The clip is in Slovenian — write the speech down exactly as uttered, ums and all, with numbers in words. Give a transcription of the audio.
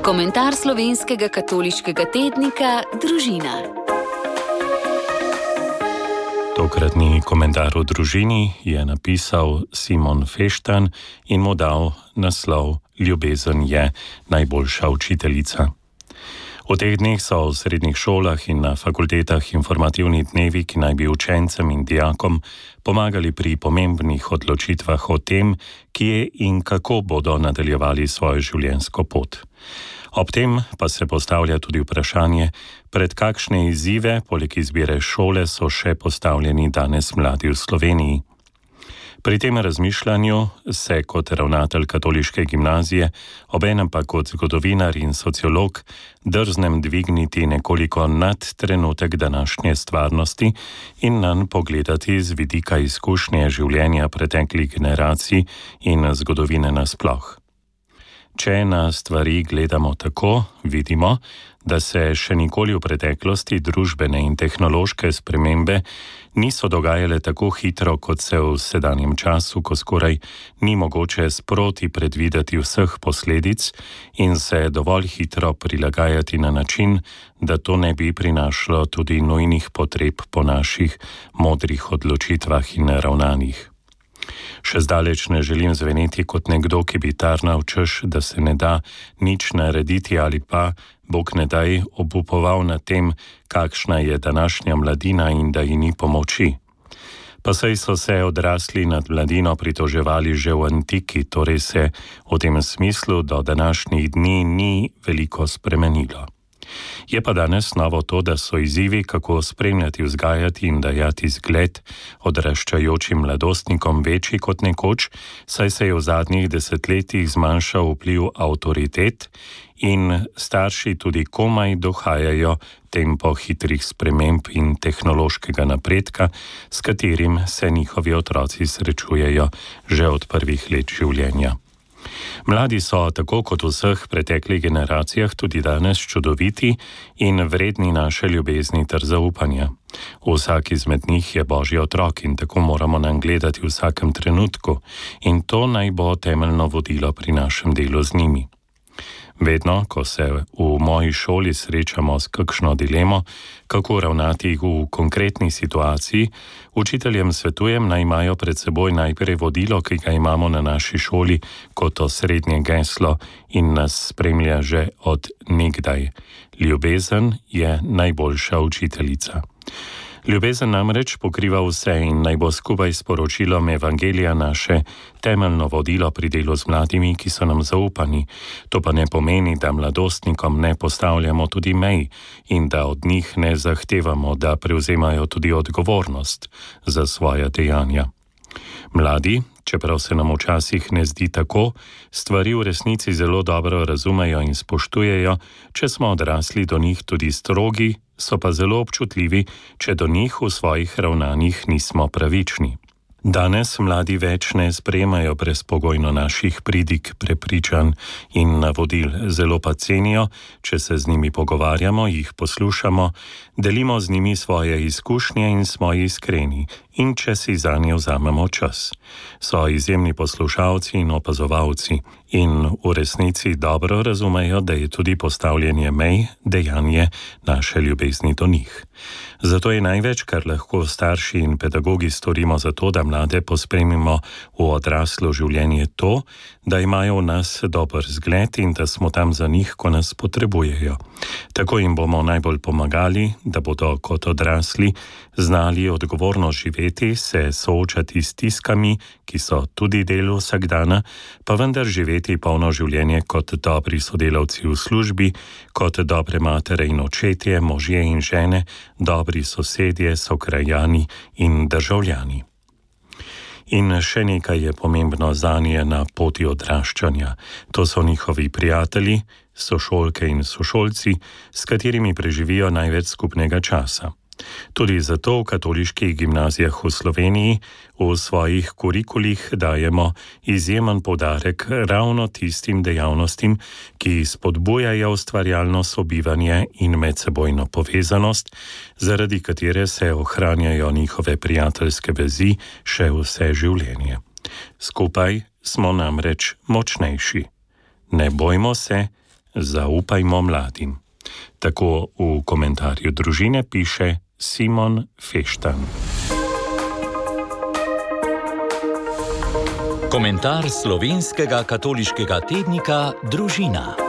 Komentar slovenskega katoliškega tednika Družina. Tokratni komentar o družini je napisal Simon Feštan in mu dal naslov Ljubezen je najboljša učiteljica. V teh dneh so v srednjih šolah in na fakultetah informativni dnevi, ki naj bi učencem in dijakom pomagali pri pomembnih odločitvah o tem, kje in kako bodo nadaljevali svojo življenjsko pot. Ob tem pa se postavlja tudi vprašanje, pred kakšne izzive, poleg izbire šole, so še postavljeni danes mladi v Sloveniji. Pri tem razmišljanju se kot ravnatelj katoliške gimnazije, obenem pa kot zgodovinar in sociolog, drznem dvigniti nekoliko nad trenutek današnje stvarnosti in nanj pogledati z vidika izkušnje življenja preteklih generacij in zgodovine nasploh. Če na stvari gledamo tako, vidimo, da se še nikoli v preteklosti družbene in tehnološke spremembe niso dogajale tako hitro, kot se v sedanjem času, ko skoraj ni mogoče sproti predvideti vseh posledic in se dovolj hitro prilagajati na način, da to ne bi prinašalo tudi nujnih potreb po naših modrih odločitvah in ravnanjih. Še zdaleč ne želim zveneti kot nekdo, ki bi tarnal, češ, da se ne da nič narediti ali pa, Bog ne daj, obupoval nad tem, kakšna je današnja mladina in da ji ni pomoči. Pa saj so se odrasli nad mladino pritoževali že v antiki, torej se v tem smislu do današnjih dni ni veliko spremenilo. Je pa danes novo to, da so izzivi, kako spremljati, vzgajati in dajati zgled odraščajočim mladostnikom večji kot nekoč, saj se je v zadnjih desetletjih zmanjšal vpliv avtoritet in starši tudi komaj dohajajo tempo hitrih sprememb in tehnološkega napredka, s katerim se njihovi otroci srečujejo že od prvih let življenja. Mladi so, tako kot v vseh preteklih generacijah, tudi danes čudoviti in vredni naše ljubezni ter zaupanja. Vsak izmed njih je Božji otrok in tako moramo nanj gledati v vsakem trenutku in to naj bo temeljno vodilo pri našem delu z njimi. Vedno, ko se v moji šoli srečamo s kakšno dilemo, kako ravnati v konkretni situaciji, učiteljem svetujem, naj imajo pred seboj najprej vodilo, ki ga imamo na naši šoli kot osrednje geslo in nas spremlja že od nekdaj. Ljubezen je najboljša učiteljica. Ljubezen namreč pokriva vse in naj bo skupaj s poročilom Evangelija naše temeljno vodilo pri delu z mladimi, ki so nam zaupani. To pa ne pomeni, da mladostnikom ne postavljamo tudi mej in da od njih ne zahtevamo, da prevzemajo tudi odgovornost za svoja dejanja. Mladi, čeprav se nam včasih ne zdi tako, stvari v resnici zelo dobro razumejo in spoštujejo, če smo odrasli do njih tudi strogi, so pa zelo občutljivi, če do njih v svojih ravnanjih nismo pravični. Danes mladi več ne sprejemajo brezpogojno naših pridig, prepričanj in navodil, zelo pa cenijo, če se z njimi pogovarjamo, jih poslušamo, delimo z njimi svoje izkušnje in smo iskreni in če si zanje vzamemo čas. So izjemni poslušalci in opazovalci in v resnici dobro razumejo, da je tudi postavljanje mej dejanje naše ljubezni do njih. Zato je največ, kar lahko starši in pedagogi storimo za to, da mlade pospremimo v odraslo življenje, to, da imajo v nas dober zgled in da smo tam za njih, ko nas potrebujejo. Tako jim bomo najbolj pomagali, da bodo kot odrasli znali odgovorno živeti, se soočati s stiskami, ki so tudi del vsakdana, pa vendar živeti polno življenje kot dobri sodelavci v službi, kot dobre matere in očetje, možje in žene, dobri sosedje, sokrajani in državljani. In še nekaj je pomembno zanje na poti odraščanja. To so njihovi prijatelji, sošolke in sošolci, s katerimi preživijo največ skupnega časa. Tudi zato v katoliških gimnazijah v Sloveniji v svojih kurikulih dajemo izjemen poudarek ravno tistim dejavnostim, ki spodbujajo ustvarjalno sobivanje in medsebojno povezanost, zaradi katere se ohranjajo njihove prijateljske vezi še vse življenje. Skupaj smo namreč močnejši. Ne bojmo se, Zaupajmo mladim. Tako v komentarju Družine piše Simon Feštan. Komentar slovenskega katoliškega tednika Družina.